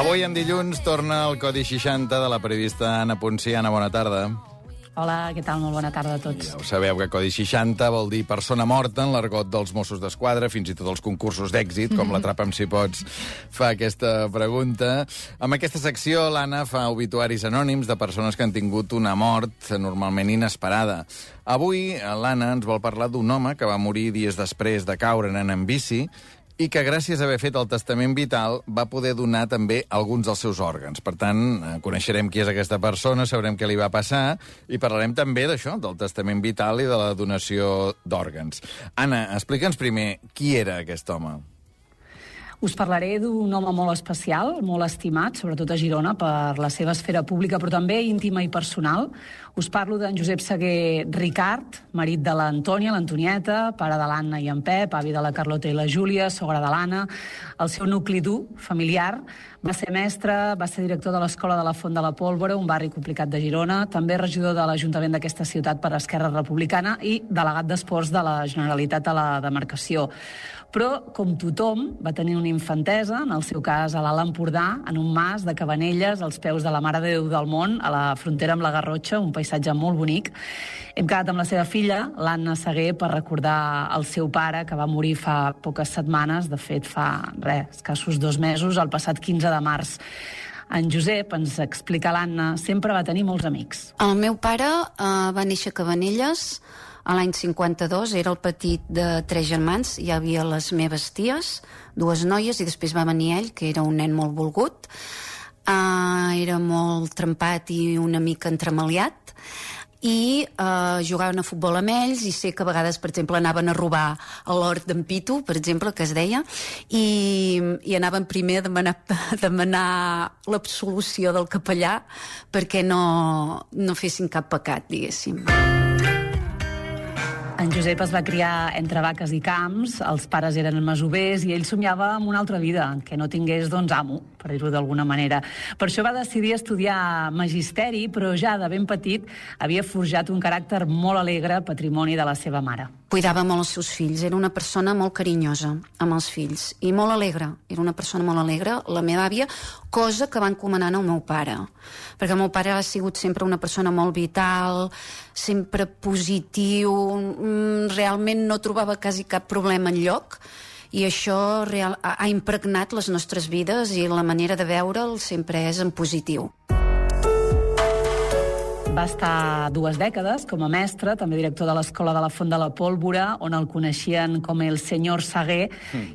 Avui, en dilluns, torna el Codi 60 de la periodista Anna Poncià. Anna, bona tarda. Hola, què tal? Molt bona tarda a tots. Ja ho sabeu que Codi 60 vol dir persona morta en l'argot dels Mossos d'Esquadra, fins i tot els concursos d'èxit, com l'Atrapa'm si pots, fa aquesta pregunta. Amb aquesta secció, l'Anna fa obituaris anònims de persones que han tingut una mort normalment inesperada. Avui, l'Anna ens vol parlar d'un home que va morir dies després de caure anant en bici i que, gràcies a haver fet el testament vital, va poder donar també alguns dels seus òrgans. Per tant, coneixerem qui és aquesta persona, sabrem què li va passar i parlarem també d'això, del testament vital i de la donació d'òrgans. Anna, explica'ns primer qui era aquest home. Us parlaré d'un home molt especial, molt estimat, sobretot a Girona, per la seva esfera pública, però també íntima i personal. Us parlo d'en Josep Sagué Ricart, marit de l'Antònia, l'Antonieta, pare de l'Anna i en Pep, avi de la Carlota i la Júlia, sogra de l'Anna. El seu nucli dur, familiar, va ser mestre, va ser director de l'Escola de la Font de la Pólvora, un barri complicat de Girona, també regidor de l'Ajuntament d'aquesta ciutat per Esquerra Republicana i delegat d'Esports de la Generalitat a la demarcació. Però, com tothom, va tenir una infantesa, en el seu cas a l'Alt Empordà, en un mas de Cabanelles, als peus de la Mare de Déu del Món, a la frontera amb la Garrotxa, un paisatge molt bonic. Hem quedat amb la seva filla, l'Anna Sagué, per recordar el seu pare, que va morir fa poques setmanes, de fet fa, escassos 2 mesos, el passat 15 de març. En Josep, ens explica l'Anna, sempre va tenir molts amics. El meu pare va néixer a Cabanelles a l'any 52, era el petit de 3 germans, hi havia les meves ties, 2 noies, i després va venir ell, que era un nen molt volgut, era molt trempat i una mica entremaliat, i jugaven a futbol amb ells, i sé que a vegades, per exemple, anaven a robar a l'hort d'en Pitu, per exemple, que es deia, i anaven primer a demanar l'absolució del capellà perquè no fessin cap pecat, diguéssim. En Josep es va criar entre vaques i camps, els pares eren masovers i ell somiava amb una altra vida, que no tingués, amo, per dir-ho d'alguna manera. Per això va decidir estudiar magisteri, però ja de ben petit havia forjat un caràcter molt alegre, patrimoni de la seva mare. Cuidava molt els seus fills, era una persona molt carinyosa amb els fills i molt alegre, era una persona molt alegre, la meva àvia, cosa que va encomanant al meu pare, perquè el meu pare ha sigut sempre una persona molt vital, sempre positiu, realment no trobava quasi cap problema enlloc, i això ha impregnat les nostres vides i la manera de veure'l sempre és en positiu. Va estar 2 dècades com a mestre, també director de l'Escola de la Font de la Pólvora, on el coneixien com el senyor Sagué,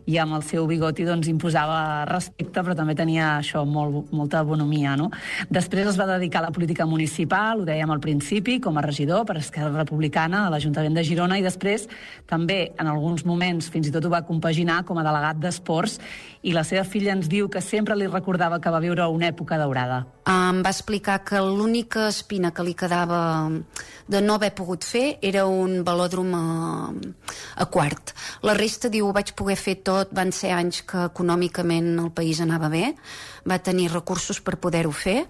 i amb el seu bigoti imposava respecte, però també tenia això, molta bonomia, no? Després es va dedicar a la política municipal, ho dèiem al principi, com a regidor per Esquerra Republicana a l'Ajuntament de Girona, i després també, en alguns moments, fins i tot ho va compaginar com a delegat d'Esports, i la seva filla ens diu que sempre li recordava que va viure una època daurada. Em va explicar que l'única espina que li quedava de no haver pogut fer era un velòdrom a Quart. La resta, diu, ho vaig poder fer tot, van ser anys que econòmicament el país anava bé, va tenir recursos per poder-ho fer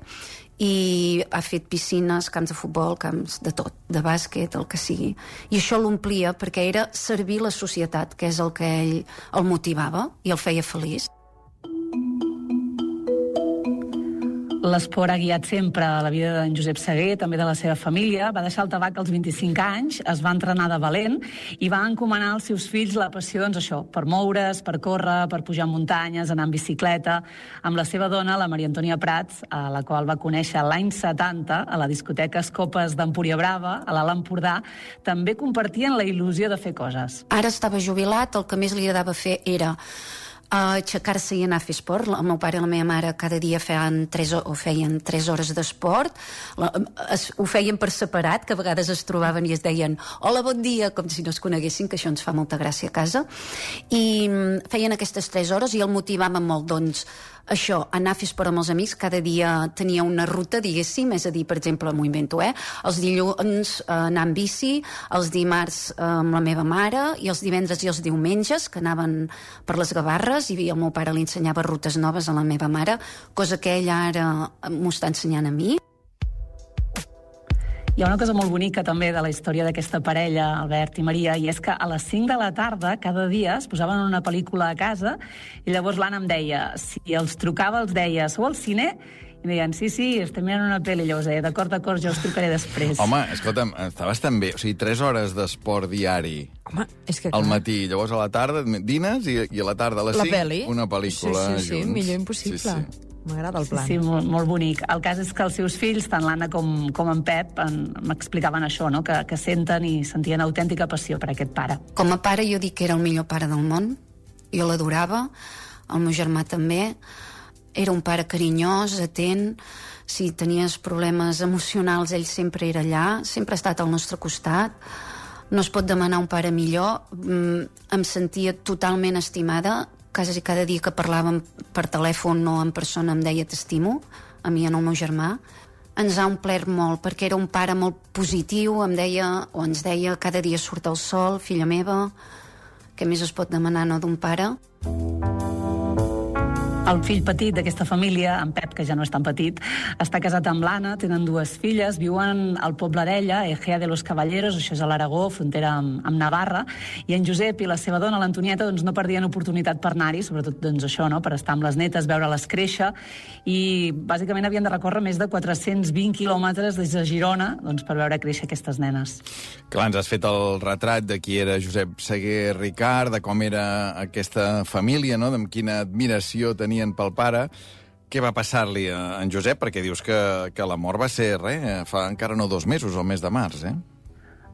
i ha fet piscines, camps de futbol, camps de tot, de bàsquet, el que sigui. I això l'omplia perquè era servir la societat, que és el que ell el motivava i el feia feliç. L'esport ha guiat sempre la vida d'en Josep Sagué, també de la seva família. Va deixar el tabac als 25 anys, es va entrenar de valent i va encomanar als seus fills la passió, per moure's, per córrer, per pujar muntanyes, anar en bicicleta, amb la seva dona, la Maria Antònia Prats, a la qual va conèixer l'any 70 a la discoteca Escopes d'Empúria Brava, a l'Alt Empordà. També compartien la il·lusió de fer coses. Ara estava jubilat, el que més li agradava fer era aixecar-se i anar a fer esport. El meu pare i la meva mare cada dia feien 3 hores d'esport, ho feien per separat, que a vegades es trobaven i es deien hola, bon dia, com si no es coneguessin, que això ens fa molta gràcia a casa, i feien aquestes 3 hores i el motivaven molt, això, anar a fer esport amb els amics, cada dia tenia una ruta, diguéssim, és a dir, per exemple, m'ho invento, els dilluns anar amb bici, els dimarts amb la meva mare, i els divendres i els diumenges, que anaven per les Gavarres, i el meu pare li ensenyava rutes noves a la meva mare, cosa que ella ara m'ho està ensenyant a mi. Hi ha una cosa molt bonica també de la història d'aquesta parella, Albert i Maria, i és que a les 5 de la tarda, cada dia, es posaven una pel·lícula a casa i llavors l'Anna em deia, si els trucava, els deia, sou al cine? I deien, sí, estem mirant una pel·li. Llavors deia, d'acord, jo us trucaré després. Home, escolta'm, està bastant bé. O sigui, 3 hores d'esport diari. Home, és que al matí, llavors a la tarda dines i a la tarda a les 5 una pel·lícula junts. Sí, millor impossible. Sí. M'agrada el plan. Sí, molt bonic. El cas és que els seus fills, tant l'Anna com en Pep, m'explicaven això, no? que senten i sentien autèntica passió per aquest pare. Com a pare jo dic que era el millor pare del món. Jo l'adorava, el meu germà també. Era un pare carinyós, atent. Si tenies problemes emocionals, ell sempre era allà, sempre ha estat al nostre costat. No es pot demanar un pare millor. Em sentia totalment estimada. Quasi cada dia que parlàvem per telèfon o en persona em deia t'estimo, a mi i al meu germà. Ens ha omplert molt, perquè era un pare molt positiu, ens deia cada dia surt el sol, filla meva, què més es pot demanar, no, d'un pare? El fill petit d'aquesta família, en Pep, que ja no és tan petit, està casat amb l'Anna, tenen 2 filles, viuen al poble d'ella, Egea de los Caballeros, això és a l'Aragó, frontera amb Navarra, i en Josep i la seva dona, l'Antonieta, no perdien oportunitat per anar-hi, sobretot això, no? Per estar amb les netes, veure-les créixer, i bàsicament havien de recórrer més de 420 quilòmetres des de Girona per veure créixer aquestes nenes. Clar, ens has fet el retrat de qui era Josep Seguer Ricart, de com era aquesta família, no? Amb quina admiració tenien pel pare. Què va passar-li a en Josep? Perquè dius que la mort va ser, fa encara no 2 mesos, el mes de març,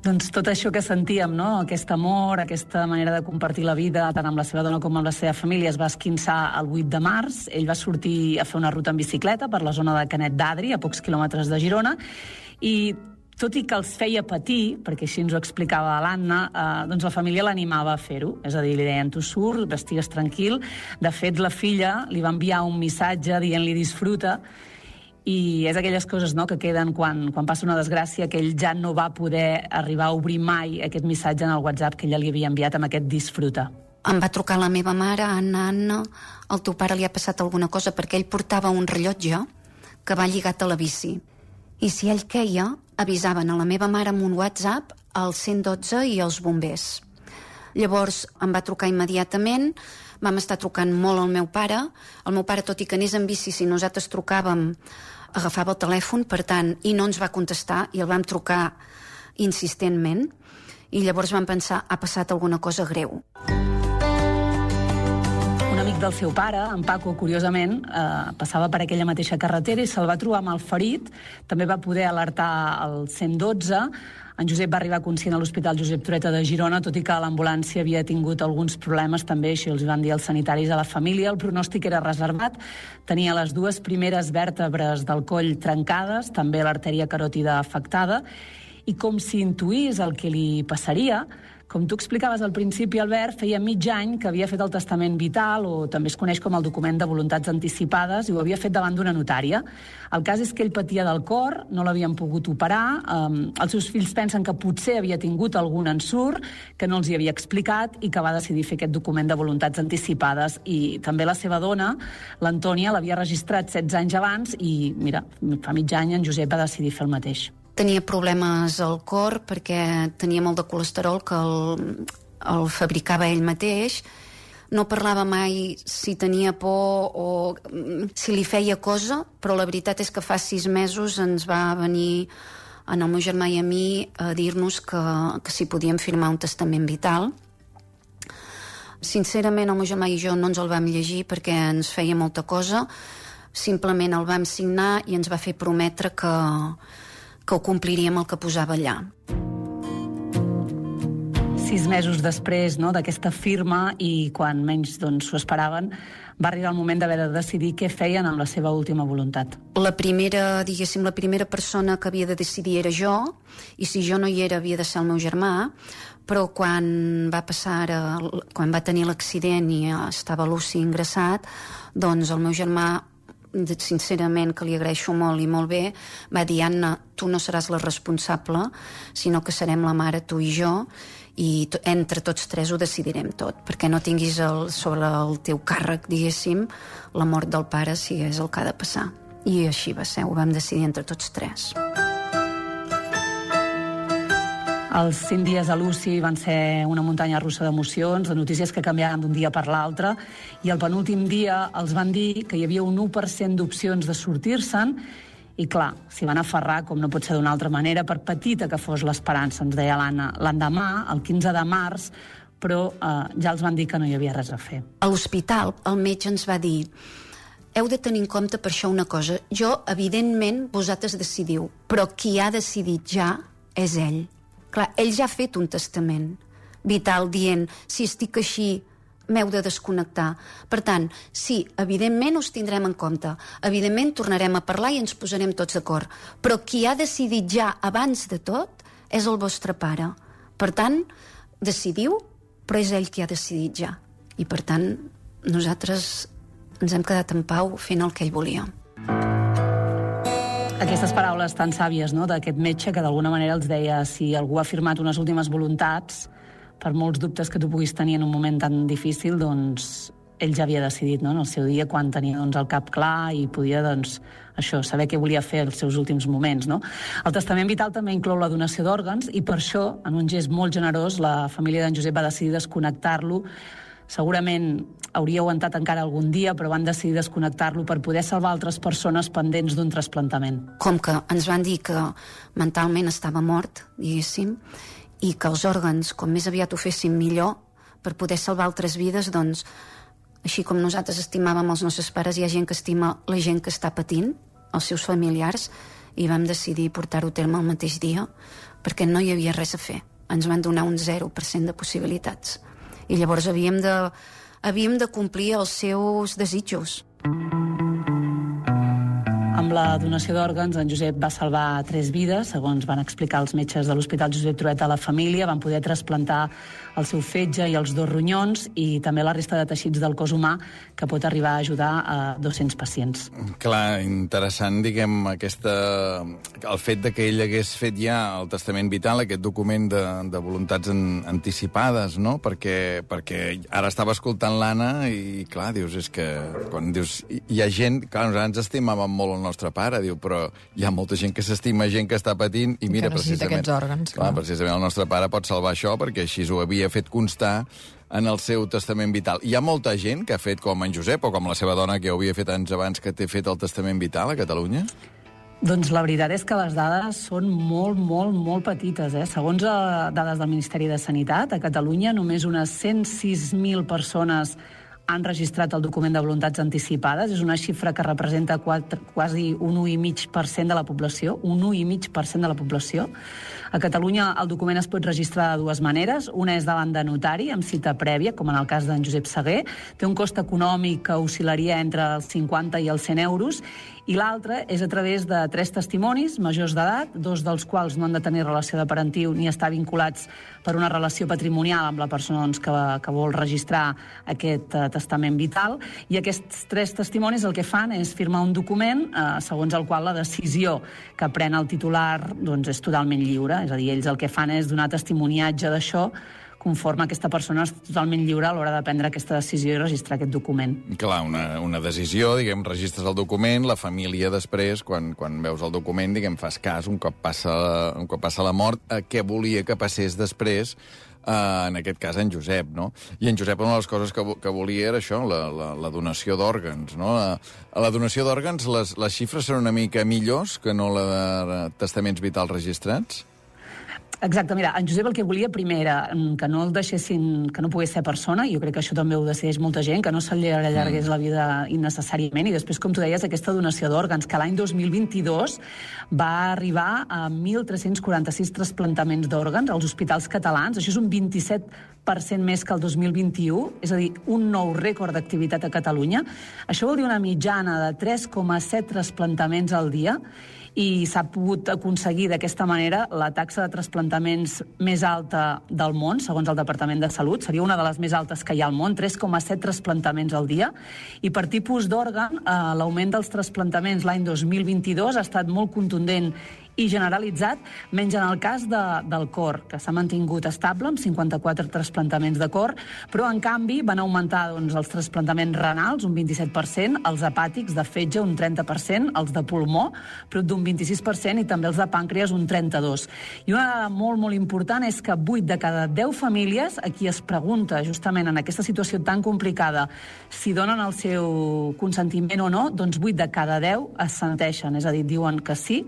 Doncs tot això que sentíem, no? Aquest amor, aquesta manera de compartir la vida, tant amb la seva dona com amb la seva família, es va esquinçar el 8 de març. Ell va sortir a fer una ruta en bicicleta per la zona de Canet d'Adri, a pocs quilòmetres de Girona, i tot i que els feia patir, perquè així ens ho explicava l'Anna, doncs la família l'animava a fer-ho. És a dir, li deien, tu surt, estigues tranquil. De fet, la filla li va enviar un missatge dient-li disfruta, i és aquelles coses, no?, que queden quan passa una desgràcia, que ell ja no va poder arribar a obrir mai aquest missatge en el WhatsApp que ella li havia enviat amb aquest disfruta. Em va trucar la meva mare, Anna, al teu pare li ha passat alguna cosa, perquè ell portava un rellotge que va lligat a la bici. I si ell queia, avisaven a la meva mare amb un WhatsApp, al 112 i als bombers. Llavors em va trucar immediatament, vam estar trucant molt al meu pare. El meu pare, tot i que anés en bici, si nosaltres trucàvem, agafava el telèfon, per tant, i no ens va contestar, i el vam trucar insistentment, i llavors vam pensar, ha passat alguna cosa greu. Un amic del seu pare, en Paco, curiosament, passava per aquella mateixa carretera i se'l va trobar malferit. També va poder alertar el 112. En Josep va arribar conscient a l'Hospital Josep Trueta de Girona, tot i que l'ambulància havia tingut alguns problemes també, així els van dir els sanitaris a la família. El pronòstic era reservat. Tenia les 2 primeres vèrtebres del coll trencades, també l'artèria caròtida afectada, i com si intuís el que li passaria, com tu explicaves al principi, Albert, feia mig any que havia fet el testament vital, o també es coneix com el document de voluntats anticipades, i ho havia fet davant d'una notària. El cas és que ell patia del cor, no l'havien pogut operar, els seus fills pensen que potser havia tingut algun ensurt, que no els hi havia explicat, i que va decidir fer aquest document de voluntats anticipades. I també la seva dona, l'Antònia, l'havia registrat 16 anys abans, i mira, fa mig any en Josep va decidir fer el mateix. Tenia problemes al cor perquè tenia molt de colesterol que el fabricava ell mateix. No parlava mai si tenia por o si li feia cosa, però la veritat és que fa 6 mesos ens va venir en el meu germà i a mi a dir-nos que si podíem firmar un testament vital. Sincerament, el meu germà i jo no ens el vam llegir perquè ens feia molta cosa. Simplement el vam signar i ens va fer prometre que ho compliríem el que posava allà. 6 mesos després, no, d'aquesta firma, i quan menys s'ho esperaven, va arribar el moment d'haver de decidir què feien amb la seva última voluntat. La primera persona que havia de decidir era jo, i si jo no hi era havia de ser el meu germà, però quan va tenir l'accident i estava l'UCI ingressat, doncs el meu germà, sincerament, que li agraeixo molt i molt bé, va dir, Anna, tu no seràs la responsable, sinó que serem la mare, tu i jo, i entre tots 3 ho decidirem tot, perquè no tinguis sobre el teu càrrec, diguéssim, la mort del pare, si és el que ha de passar. I així va ser, ho vam decidir entre tots 3. Els 5 dies a l'UCI van ser una muntanya russa d'emocions, de notícies que canviaven d'un dia per l'altre, i el penúltim dia els van dir que hi havia un 1% d'opcions de sortir-se'n, i clar, s'hi van aferrar, com no pot ser d'una altra manera, per petita que fos l'esperança, ens deia l'Anna. L'endemà, el 15 de març, però ja els van dir que no hi havia res a fer. A l'hospital, el metge ens va dir: heu de tenir en compte per això una cosa. Jo, evidentment, vosaltres decidiu, però qui ha decidit ja és ell. Clar, ell ja ha fet un testament vital dient, si estic així, m'heu de desconnectar. Per tant, sí, evidentment us tindrem en compte, evidentment tornarem a parlar i ens posarem tots d'acord, però qui ha decidit ja abans de tot és el vostre pare. Per tant, decidiu, però és ell qui ha decidit ja. I per tant, nosaltres ens hem quedat en pau fent el que ell volia. Aquestes paraules tan sàvies, no?, d'aquest metge que d'alguna manera els deia, si algú ha firmat unes últimes voluntats, per molts dubtes que tu puguis tenir en un moment tan difícil, doncs ell ja havia decidit, no?, en el seu dia, quan tenia el cap clar i podia, això, saber què volia fer els seus últims moments, no? El testament vital també inclou la donació d'òrgans i per això, en un gest molt generós, la família d'en Josep va decidir desconnectar-lo. Segurament hauria aguantat encara algun dia, però van decidir desconnectar-lo per poder salvar altres persones pendents d'un trasplantament. Com que ens van dir que mentalment estava mort, diguéssim, i que els òrgans, com més aviat ho féssim millor, per poder salvar altres vides, doncs, així com nosaltres estimàvem els nostres pares, hi ha gent que estima la gent que està patint, els seus familiars, i vam decidir portar-ho a terme el mateix dia, perquè no hi havia res a fer. Ens van donar un 0% de possibilitats. I llavors havíem de complir els seus desitjos. Amb la donació d'òrgans, en Josep va salvar 3 vides, segons van explicar els metges de l'Hospital Josep Trueta a la família. Van poder trasplantar el seu fetge i els 2 ronyons i també la resta de teixits del cos humà, que pot arribar a ajudar a 200 pacients. Clar, interessant, diguem, el fet de que ell hagués fet ja el testament vital, aquest document de voluntats anticipades, no? Perquè ara estava escoltant l'Anna i, clar, dius, és que quan dius, hi ha gent, clar, nosaltres ens estimàvem molt el nostre pare, diu, però hi ha molta gent que s'estima, gent que està patint, i mira, que necessita aquests òrgans. Clar, precisament el nostre pare pot salvar això, perquè així ho havia fet constar en el seu testament vital. Hi ha molta gent que ha fet com en Josep, o com la seva dona, que ho havia fet anys abans, que té fet el testament vital a Catalunya? Doncs la veritat és que les dades són molt, molt, molt petites. Segons dades del Ministeri de Sanitat, a Catalunya només unes 106.000 persones han registrat el document de voluntats anticipades. És una xifra que representa quasi un 1,5% de la població. Un 1,5% de la població. A Catalunya el document es pot registrar de 2 maneres. Una és davant de notari, amb cita prèvia, com en el cas d'en Josep Saguer. Té un cost econòmic que oscil·laria entre els 50 i els 100 euros. I l'altra és a través de 3 testimonis majors d'edat, 2 dels quals no han de tenir relació de parentiu ni estar vinculats per una relació patrimonial amb la persona que vol registrar aquest testament vital. I aquests 3 testimonis el que fan és firmar un document segons el qual la decisió que pren el titular és totalment lliure. És a dir, ells el que fan és donar testimoniatge d'això, conforme aquesta persona és totalment lliure a l'hora de prendre aquesta decisió i registrar aquest document. Clar, una decisió, diguem, registres el document, la família després, quan veus el document, diguem, fas cas, un cop passa la mort, què volia que passés després, en aquest cas en Josep, no? I en Josep una de les coses que volia era això, la donació d'òrgans, no? A la donació d'òrgans les xifres són una mica millors que no la de testaments vitals registrats? Exacte, mira, en Josep el que volia primer era que no el deixessin, que no pogués ser persona, i jo crec que això també ho decideix molta gent, que no se li allargués la vida innecessàriament, i després, com tu deies, aquesta donació d'òrgans, que l'any 2022 va arribar a 1.346 trasplantaments d'òrgans als hospitals catalans. Això és un 27% més que el 2021, és a dir, un nou rècord d'activitat a Catalunya. Això vol dir una mitjana de 3,7 trasplantaments al dia, i s'ha pogut aconseguir d'aquesta manera la taxa de trasplantaments més alta del món, segons el Departament de Salut. Seria una de les més altes que hi ha al món, 3,7 trasplantaments al dia. I per tipus d'òrgan, l'augment dels trasplantaments l'any 2022 ha estat molt contundent i generalitzat, menys en el cas del cor, que s'ha mantingut estable amb 54 trasplantaments de cor, però en canvi van augmentar els trasplantaments renals un 27%, els hepàtics de fetge un 30%, els de pulmó prop d'un 26% i també els de pàncreas un 32%. I una dada molt, molt important és que 8 de cada 10 famílies a qui es pregunta justament en aquesta situació tan complicada si donen el seu consentiment o no, doncs 8 de cada 10 assenteixen, és a dir, diuen que sí,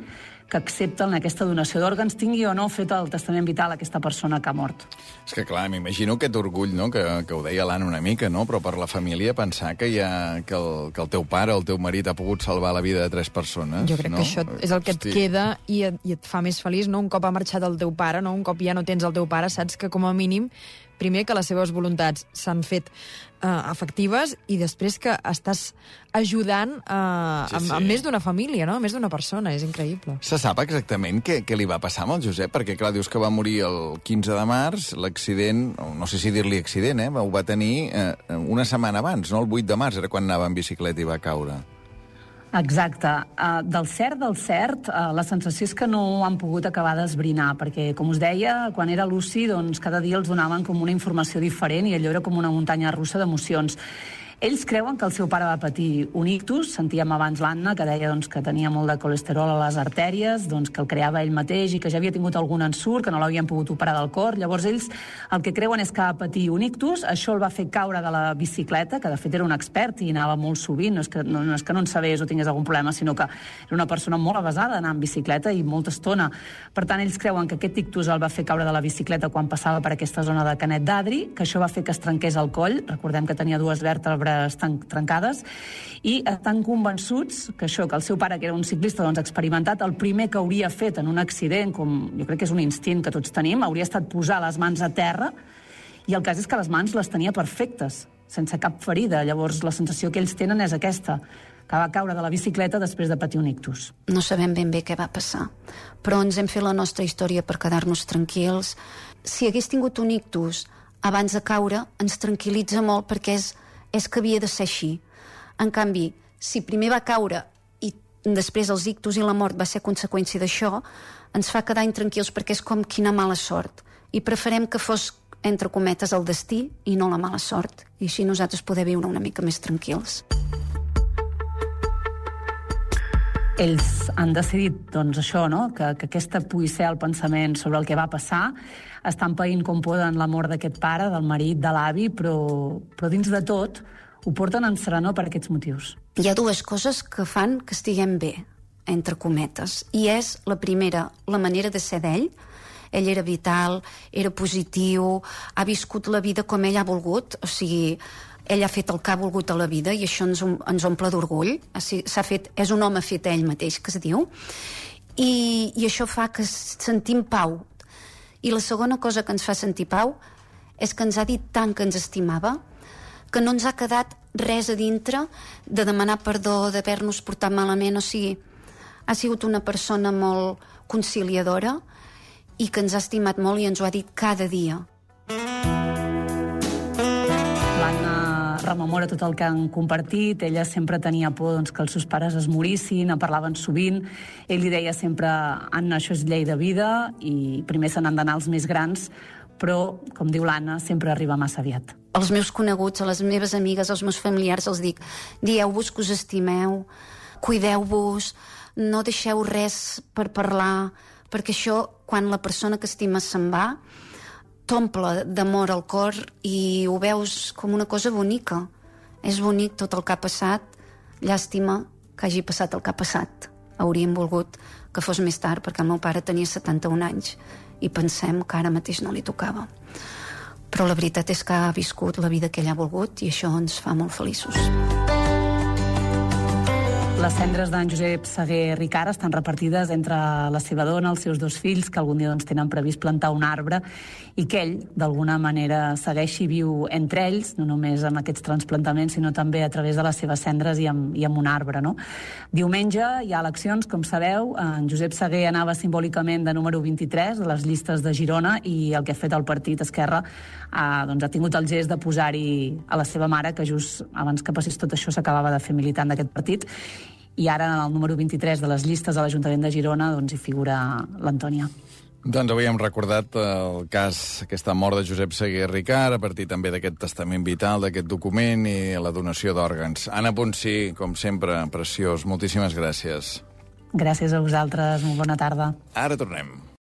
que accepten aquesta donació d'òrgans, tingui o no fet el testament vital a aquesta persona que ha mort. És que, clar, m'imagino aquest orgull, no?, que ho deia l'Anna una mica, no?, però per la família pensar que el teu pare o el teu marit ha pogut salvar la vida de 3 persones. Jo crec que això és el que et queda i et fa més feliç, no? Un cop ha marxat el teu pare, no? Un cop ja no tens el teu pare, saps que com a mínim, primer que les seves voluntats s'han fet efectives i després que estàs ajudant amb més d'una família, no? Més d'una persona, és increïble. Se sap exactament què li va passar amb el Josep? Perquè, clar, dius que va morir el 15 de març, l'accident, no sé si dir-li accident, ho va tenir una setmana abans, no? El 8 de març era quan anava en bicicleta i va caure. Exacte. Del cert, la sensació és que no ho han pogut acabar d'esbrinar, perquè, com us deia, quan era luci, doncs cada dia els donaven com una informació diferent i allò era com una muntanya russa d'emocions. Ells creuen que el seu pare va patir un ictus, sentíem abans l'Anna, que deia que tenia molt de colesterol a les artèries, que el creava ell mateix i que ja havia tingut algun ensurt, que no l'havien pogut operar del cor. Llavors ells el que creuen és que va patir un ictus, això el va fer caure de la bicicleta, que de fet era un expert i anava molt sovint, no és que no en sabés o tingués algun problema, sinó que era una persona molt avesada d'anar en bicicleta i molta estona. Per tant, ells creuen que aquest ictus el va fer caure de la bicicleta quan passava per aquesta zona de Canet d'Adri, que això va fer que es trenqués el coll, recordem que tenia 2 vèrtebres estan trencades, i estan convençuts que el seu pare, que era un ciclista experimentat, el primer que hauria fet en un accident, com jo crec que és un instint que tots tenim, hauria estat posar les mans a terra, i el cas és que les mans les tenia perfectes, sense cap ferida. Llavors la sensació que ells tenen és aquesta, que va caure de la bicicleta després de patir un ictus. No sabem ben bé què va passar, però ens hem fet la nostra història per quedar-nos tranquils. Si hagués tingut un ictus abans de caure, ens tranquil·litza molt perquè és que havia de ser així. En canvi, si primer va caure i després els ictus i la mort va ser conseqüència d'això, ens fa quedar intranquils perquè és com quina mala sort. I preferem que fos, entre cometes, el destí i no la mala sort. I així nosaltres poder viure una mica més tranquils. Ells han decidit, això, no?, que aquesta pugui ser el pensament sobre el que va passar. Estan païnt com poden la mort d'aquest pare, del marit, de l'avi, però dins de tot ho porten en serenor per aquests motius. Hi ha 2 coses que fan que estiguem bé, entre cometes, i és la primera, la manera de ser d'ell. Ell era vital, era positiu, ha viscut la vida com ell ha volgut, o sigui, ell ha fet el que ha volgut a la vida i això ens omple d'orgull. És un home fet a ell mateix, que es diu, i això fa que sentim pau. I la segona cosa que ens fa sentir pau és que ens ha dit tant que ens estimava que no ens ha quedat res a dintre de demanar perdó, d'haver-nos portat malament. O sigui, ha sigut una persona molt conciliadora i que ens ha estimat molt i ens ho ha dit cada dia. L'Anna rememora tot el que han compartit. Ella sempre tenia por que els seus pares es morissin, en parlaven sovint. Ell li deia sempre, Anna, això és llei de vida i primer se n'han d'anar els més grans, però, com diu l'Anna, sempre arriba massa aviat. Als meus coneguts, a les meves amigues, als meus familiars, els dic, dieu-vos que us estimeu, cuideu-vos, no deixeu res per parlar, perquè això, quan la persona que estimes se'n va, t'omple d'amor al cor i ho veus com una cosa bonica. És bonic tot el que ha passat, llàstima que hagi passat el que ha passat. Hauríem volgut que fos més tard, perquè el meu pare tenia 71 anys i pensem que ara mateix no li tocava. Però la veritat és que ha viscut la vida que ell ha volgut i això ens fa molt feliços. Les cendres d'en Josep Sagué Ricart estan repartides entre la seva dona, els seus 2 fills, que algun dia tenen previst plantar un arbre, i que ell, d'alguna manera, segueix i viu entre ells, no només amb aquests transplantaments, sinó també a través de les seves cendres i amb un arbre, no? Diumenge hi ha eleccions, com sabeu. En Josep Sagué anava simbòlicament de número 23 a les llistes de Girona i el que ha fet el partit Esquerra ha tingut el gest de posar-hi a la seva mare, que just abans que passés tot això s'acabava de fer militant d'aquest partit. i ara en el número 23 de les llistes de l'Ajuntament de Girona doncs hi figura l'Antònia. Doncs avui hem recordat el cas, aquesta mort de Josep Seguer Ricart, a partir també d'aquest testament vital, d'aquest document i la donació d'òrgans. Anna Ponsí, com sempre, preciós. Moltíssimes gràcies. Gràcies a vosaltres, molt bona tarda. Ara tornem.